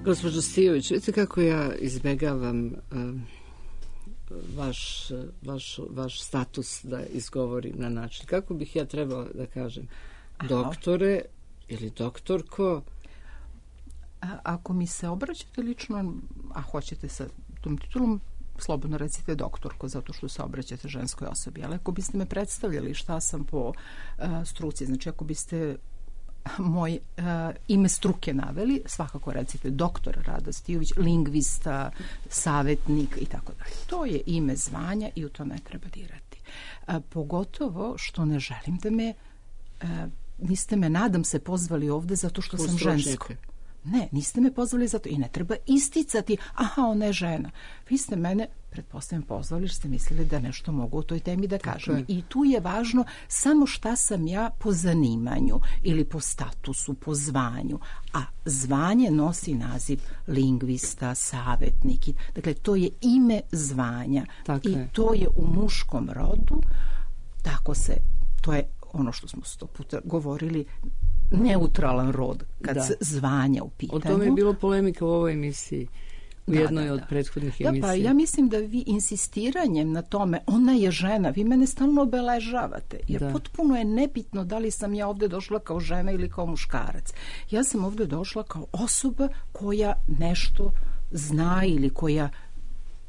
Gospođo Stijović, vidite kako ja izbegavam uh, vaš, vaš, vaš status da izgovorim na način. Kako bih ja trebala da kažem? Doktore ili doktorko? A, ako mi se obraćate lično, a hoćete sa tom titulom, slobodno recite doktorko, zato što se obraćate ženskoj osobi. Ali ako biste me predstavljali šta sam po uh, struci, znači ako biste moj uh, ime struke naveli, svakako recite doktor Rada Stijović, lingvista, savjetnik i tako dalje. To je ime zvanja i u to ne treba dirati. Uh, pogotovo što ne želim da me, uh, niste me, nadam se, pozvali ovde zato što sam žensko. Ne, niste me pozvali zato i ne treba isticati, aha, ona je žena. Vi ste mene, pretpostavljam, pozvali jer ste mislili da nešto mogu u toj temi da kažem. I tu je važno samo šta sam ja po zanimanju ili po statusu, po zvanju. A zvanje nosi naziv lingvista, savjetnik. Dakle, to je ime zvanja. Tako I je. To je u muškom rodu, tako se, to je ono što smo sto puta govorili, neutralan rod kad da. se zvanja u pitanju. O tome je bilo polemika u ovoj emisiji, u da, jednoj da, od da. prethodnih da, emisija. Pa ja mislim da vi insistiranjem na tome, ona je žena, vi mene stalno obeležavate, jer da. potpuno je nebitno da li sam ja ovde došla kao žena ili kao muškarac. Ja sam ovde došla kao osoba koja nešto zna ili koja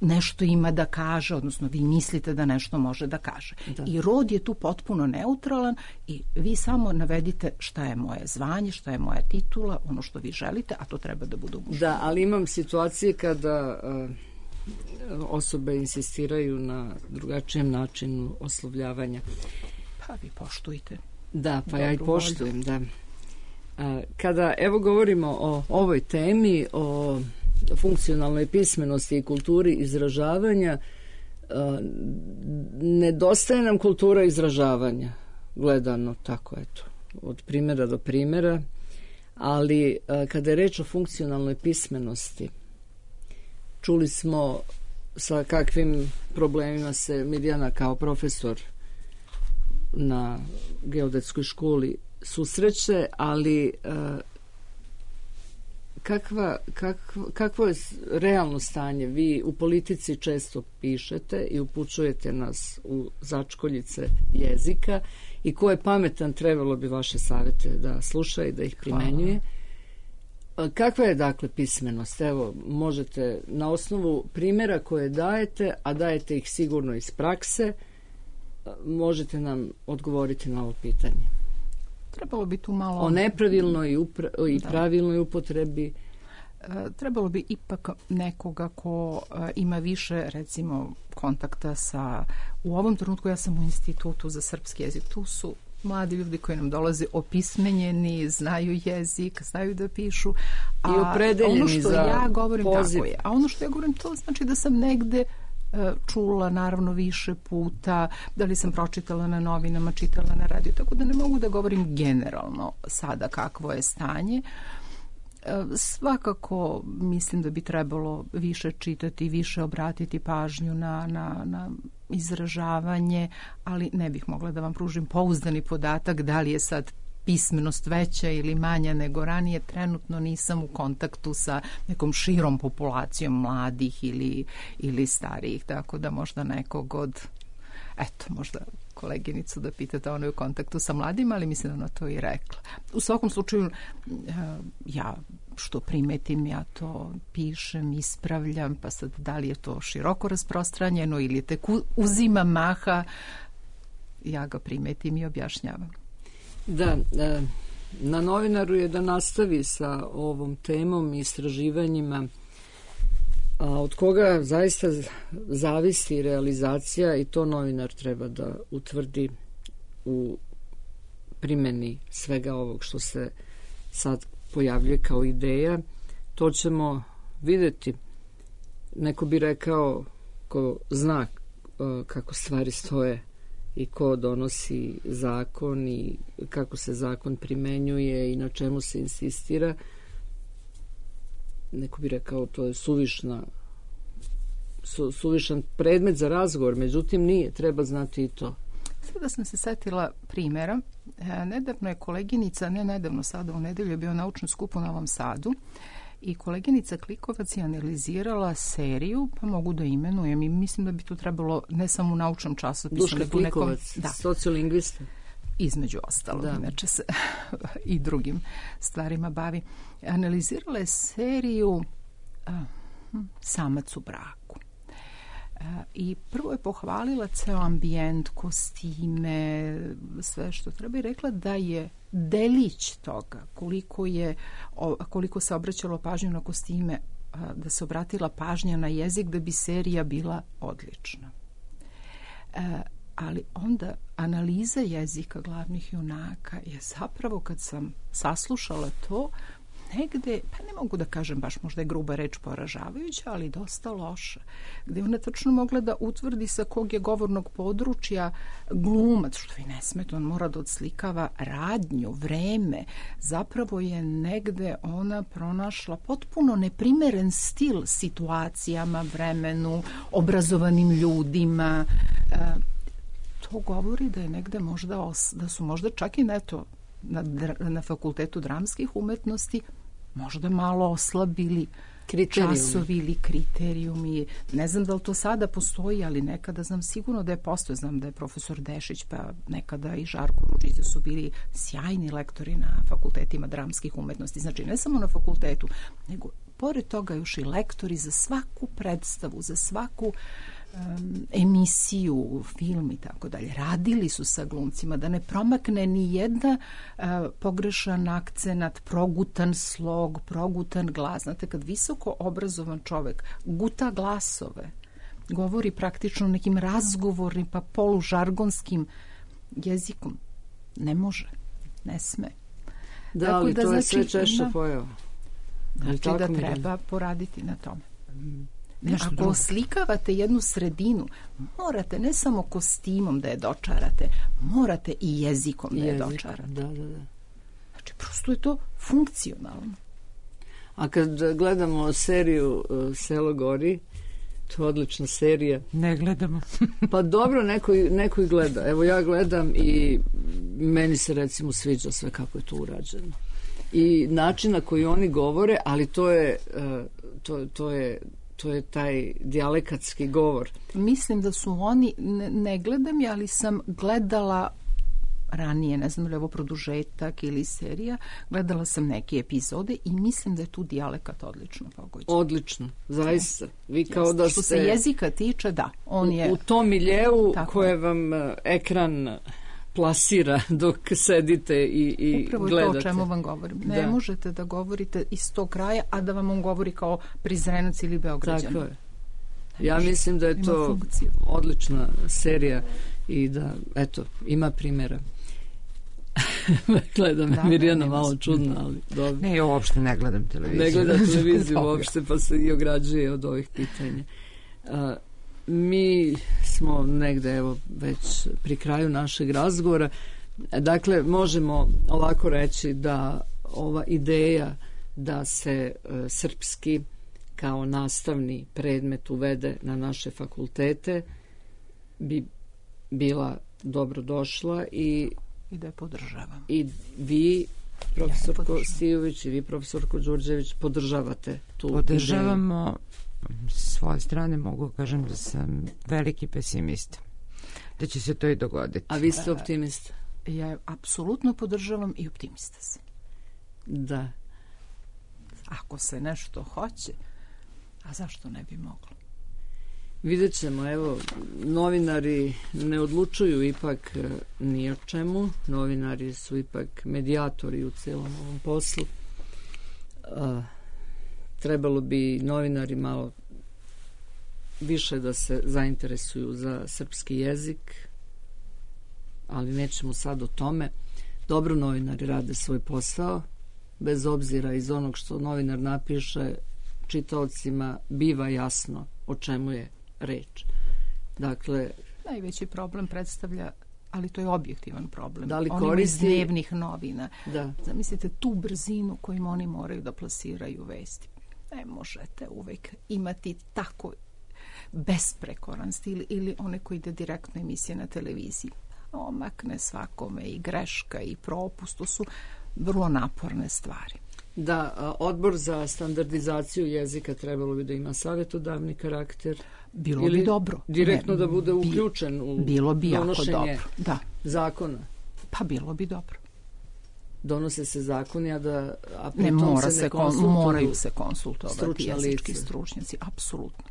nešto ima da kaže, odnosno vi mislite da nešto može da kaže. Da. I rod je tu potpuno neutralan i vi samo navedite šta je moje zvanje, šta je moja titula, ono što vi želite, a to treba da bude muško. Da, ali imam situacije kada uh, osobe insistiraju na drugačijem načinu oslovljavanja. Pa vi poštujte. Da, pa ja i poštujem, da. Uh, kada, evo, govorimo o ovoj temi, o funkcionalnoj pismenosti i kulturi izražavanja, nedostaje nam kultura izražavanja, gledano tako, eto, od primjera do primjera, ali kada je reč o funkcionalnoj pismenosti, čuli smo sa kakvim problemima se Mirjana kao profesor na geodetskoj školi susreće, ali Kakva, kakvo, kakvo je realno stanje? Vi u politici često pišete i upućujete nas u začkoljice jezika i ko je pametan trebalo bi vaše savjete da sluša i da ih primenjuje. Hvala. Kakva je dakle pismenost? Evo, možete na osnovu primjera koje dajete, a dajete ih sigurno iz prakse, možete nam odgovoriti na ovo pitanje. Trebalo bi tu malo... O nepravilnoj i, upra- i pravilnoj upotrebi. Trebalo bi ipak nekoga ko ima više, recimo, kontakta sa... U ovom trenutku ja sam u Institutu za srpski jezik. Tu su mladi ljudi koji nam dolaze opismenjeni, znaju jezik, znaju da pišu. A i opredeljeni ono što za ja govorim, poziv. Tako je. A ono što ja govorim, to znači da sam negde čula naravno više puta, da li sam pročitala na novinama, čitala na radiju, tako da ne mogu da govorim generalno sada kakvo je stanje. Svakako mislim da bi trebalo više čitati, više obratiti pažnju na, na, na izražavanje, ali ne bih mogla da vam pružim pouzdani podatak da li je sad pismenost veća ili manja nego ranije. Trenutno nisam u kontaktu sa nekom širom populacijom mladih ili, ili starijih, tako da možda nekog od, eto, možda koleginicu da pitate, ona je u kontaktu sa mladima, ali mislim da ona to i rekla. U svakom slučaju, ja što primetim, ja to pišem, ispravljam, pa sad da li je to široko rasprostranjeno ili je tek uzima maha, ja ga primetim i objašnjavam. Da, na novinaru je da nastavi sa ovom temom i istraživanjima, a od koga zaista zavisi realizacija i to novinar treba da utvrdi u primjeni svega ovog što se sad pojavljuje kao ideja. To ćemo vidjeti. Neko bi rekao ko zna kako stvari stoje i ko donosi zakon i kako se zakon primenjuje i na čemu se insistira. Neko bi rekao to je suvišna su, suvišan predmet za razgovor, međutim nije, treba znati i to. Sada sam se setila primjera. E, nedavno je koleginica, ne nedavno, sada u nedelju je bio naučni skup u Novom Sadu I koleginica Klikovac je analizirala seriju, pa mogu da imenujem i mislim da bi tu trebalo ne samo u naučnom časopisu. Duška Klikovac, da. Sociolingvista. Između ostalog, da. Inače se i drugim stvarima bavi. Analizirala je seriju a, Samac u braku. A, I prvo je pohvalila ceo ambijent, kostime, sve što treba i rekla da je delić toga, koliko, je, koliko se obraćalo pažnju na kostime, a, da se obratila pažnja na jezik, da bi serija bila odlična. A, ali onda analiza jezika glavnih junaka je zapravo, kad sam saslušala to, negde, pa ne mogu da kažem baš, možda je gruba reč poražavajuća, ali dosta loša, gde ona tačno mogla da utvrdi sa kog je govornog područja glumac, što i ne smeta, on mora da odslikava radnju, vreme. Zapravo je negde ona pronašla potpuno neprimeren stil situacijama, vremenu, obrazovanim ljudima. To govori da je negde možda os, da su možda čak i neto na, na Fakultetu dramskih umetnosti možda malo oslabili kriterijumi. Časovi ili kriterijumi. Ne znam da li to sada postoji, ali nekada znam sigurno da je postoje. Znam da je profesor Dešić, pa nekada i Žarko Ružica su bili sjajni lektori na fakultetima dramskih umetnosti. Znači ne samo na fakultetu, nego pored toga još i lektori za svaku predstavu, za svaku Um, emisiju, film i tako dalje. Radili su sa glumcima da ne promakne ni jedna uh, pogrešan akcenat, progutan slog, progutan glas. Znate, kad visoko obrazovan čovek guta glasove, govori praktično nekim razgovornim pa polužargonskim jezikom, ne može, ne sme. Da, tako ali da, to znači, je sve češće pojava. Znači da treba poraditi na tome. Mm. Nešto Ako drugo. Oslikavate jednu sredinu, morate ne samo kostimom da je dočarate, morate i jezikom da je Jezik, dočarate. Da, da, da. Znači, prosto je to funkcionalno. A kad gledamo seriju uh, Selo gori, to je odlična serija. Ne gledamo. Pa dobro, neko, neko i gleda. Evo ja gledam i meni se recimo sviđa sve kako je to urađeno. I način na koji oni govore, ali to je, uh, to, to je to je taj dijalekatski govor. Mislim da su oni, ne, ne gledam ja, ali sam gledala ranije, ne znam li ovo produžetak ili serija, gledala sam neke epizode i mislim da je tu dijalekat odlično pogođen. Odlično, zaista. Vi kao Jeste. Da Što ste... se jezika tiče, da. On u, je... u tom miljeu koje vam uh, ekran plasira dok sedite i, i Upravo gledate. Upravo to o čemu vam govorim. Ne da. možete da govorite iz tog kraja, a da vam on govori kao Prizrenac ili Beograđan. Tako je. Ja mislim da je to odlična serija i da, eto, ima primjera. Gledam, da, Mirjana da, malo čudna, ali dobro. Ne, ja uopšte ne gledam televiziju. Ne gledam televiziju uopšte, pa se i ograđuje od ovih pitanja. Uh, mi smo negde, evo, već pri kraju našeg razgovora. Dakle, možemo ovako reći da ova ideja da se uh, srpski kao nastavni predmet uvede na naše fakultete bi bila dobro došla i i da je podržavam. I vi, profesorko ja Stijović, i vi, profesorko Đurđević, podržavate tu Podržavamo. S svoje strane mogu kažem da sam veliki pesimista. Da će se to i dogoditi. A vi ste optimista? Ja apsolutno podržavam i optimista sam. Da. Ako se nešto hoće, a zašto ne bi moglo? Vidjet ćemo, evo, novinari ne odlučuju ipak ni o čemu. Novinari su ipak medijatori u celom ovom poslu. A, trebalo bi novinari malo više da se zainteresuju za srpski jezik, ali nećemo sad o tome. Dobro, novinari rade svoj posao, bez obzira iz onog što novinar napiše, čitaocima biva jasno o čemu je reč. Dakle, najveći problem predstavlja, ali to je objektivan problem. Da li Onima koristi... iz dnevnih novina. Da. Zamislite tu brzinu kojim oni moraju da plasiraju vesti. Ne možete uvek imati tako besprekoran stil ili one koji ide direktno emisije na televiziji. Omakne svakome i greška i propust. To su vrlo naporne stvari. Da, odbor za standardizaciju jezika trebalo bi da ima savjetodavni karakter. Bilo bi dobro. Direktno ne, da bude uključen u bilo bi donošenje jako dobro. Da. zakona. Pa bilo bi dobro. Donose se zakoni, a da a ne, mora se, se ne kon, moraju se konsultovati jezički lice. stručnjaci, apsolutno.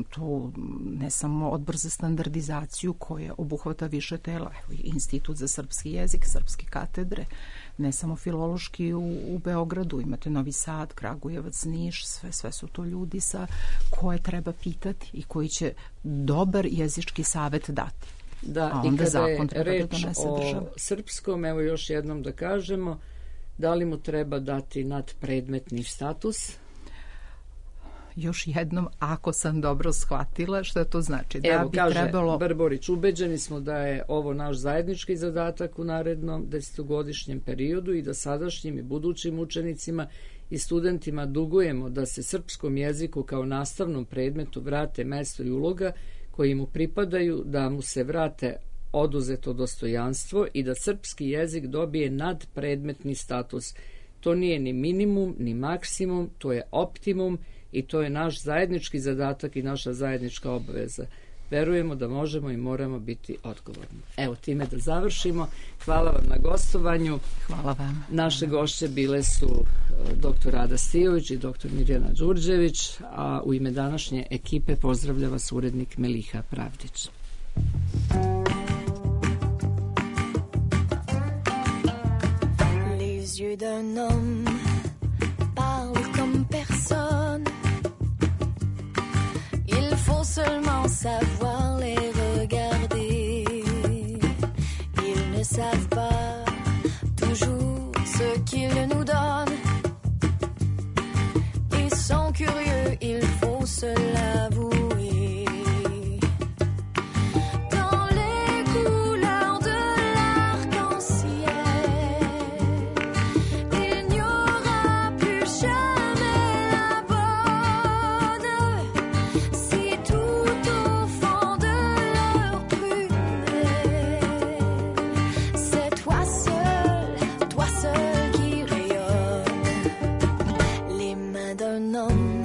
To ne samo odbor za standardizaciju koje obuhvata više tela, evo, Institut za srpski jezik, srpske katedre, ne samo filološki u, u Beogradu, imate Novi Sad, Kragujevac, Niš, sve, sve su to ljudi sa koje treba pitati i koji će dobar jezički savet dati. Da, i kada je reč o srpskom, evo još jednom da kažemo, da li mu treba dati nadpredmetni status? Još jednom, ako sam dobro shvatila, što to znači? Da evo, bi kaže trebalo... Brborić, ubeđeni smo da je ovo naš zajednički zadatak u narednom desetogodišnjem periodu i da sadašnjim i budućim učenicima i studentima dugujemo da se srpskom jeziku kao nastavnom predmetu vrate mesto i uloga koji mu pripadaju, da mu se vrate oduzeto dostojanstvo i da srpski jezik dobije nadpredmetni status. To nije ni minimum, ni maksimum, to je optimum i to je naš zajednički zadatak i naša zajednička obaveza. Verujemo da možemo i moramo biti odgovorni. Evo, time da završimo. Hvala vam na gostovanju. Hvala vam. Naše gošće bile su doktor Rada Stijović i doktor Mirjana Đurđević, a u ime današnje ekipe pozdravlja vas urednik Meliha Pravdić. Les yeux d'un homme parlent comme personne. Il faut seulement savoir les regarder. Ils ne savent pas toujours ce qu'ils nous donnent. Ils sont curieux, il faut se l'avouer. D'un homme